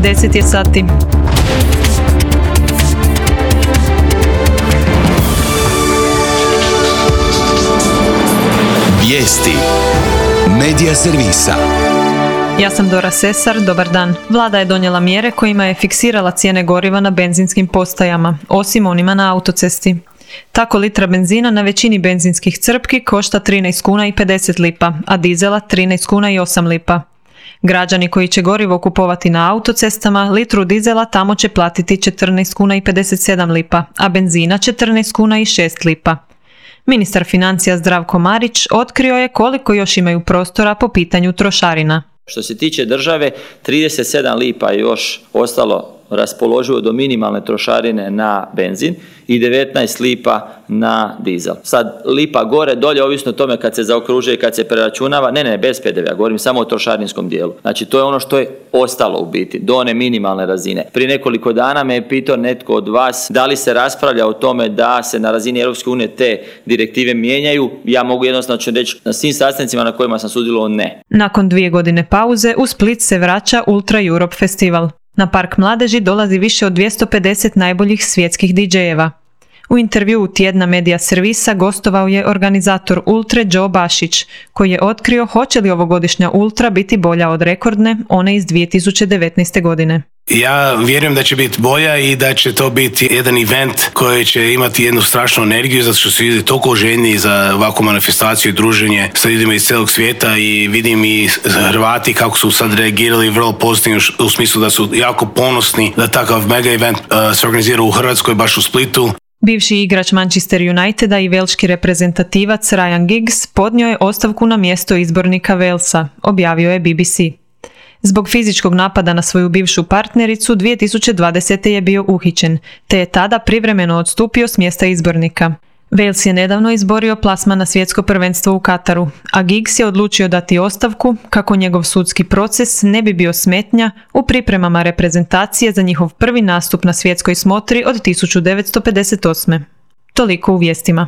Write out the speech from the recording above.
10 je sati. Vijesti Medija servisa. Ja sam Dora Sesar, dobar dan. Vlada je donijela mjere kojima je fiksirala cijene goriva na benzinskim postajama, osim onima na autocesti. Tako litra benzina na većini benzinskih crpki košta 13 kuna i 50 lipa, a dizela 13 kuna i 8 lipa. Građani koji će gorivo kupovati na autocestama, litru dizela tamo će platiti 14 kuna i 57 lipa, a benzina 14 kuna i 6 lipa. Ministar financija Zdravko Marić otkrio je koliko još imaju prostora po pitanju trošarina. Što se tiče države, 37 lipa je još ostalo raspoloživo do minimalne trošarine na benzin i 19 lipa na dizel. Sad lipa gore, dolje, ovisno o tome kad se zaokružuje i kad se preračunava, ne, bez PDV-a, govorim samo o trošarinskom dijelu. Znači to je ono što je ostalo u biti, do one minimalne razine. Prije nekoliko dana me je pitao netko od vas da li se raspravlja o tome da se na razini Europske unije te direktive mijenjaju. Ja mogu jednostavno reći na svim sastancima na kojima sam sudjelovao ne. Nakon 2 godine pauze u Split se vraća Ultra Europe festival. Na Park mladeži dolazi više od 250 najboljih svjetskih DJ-eva. U intervjuu tjedna Medija servisa gostovao je organizator Ultre Joe Bašić, koji je otkrio hoće li ovogodišnja Ultra biti bolja od rekordne, one iz 2019. godine. Ja vjerujem da će biti bolja i da će to biti jedan event koji će imati jednu strašnu energiju, zato što su ljudi toliko željni za ovakvu manifestaciju i druženje sa ljudima iz cijelog svijeta i vidim i Hrvati kako su sad reagirali vrlo pozitivno u smislu da su jako ponosni da takav mega event se organizira u Hrvatskoj, baš u Splitu. Bivši igrač Manchester Uniteda i velški reprezentativac Ryan Giggs podnio je ostavku na mjesto izbornika Walesa, objavio je BBC. Zbog fizičkog napada na svoju bivšu partnericu 2020. je bio uhićen, te je tada privremeno odstupio s mjesta izbornika. Wales je nedavno izborio plasman na svjetsko prvenstvo u Kataru, a Giggs je odlučio dati ostavku kako njegov sudski proces ne bi bio smetnja u pripremama reprezentacije za njihov prvi nastup na svjetskoj smotri od 1958. Toliko u vijestima.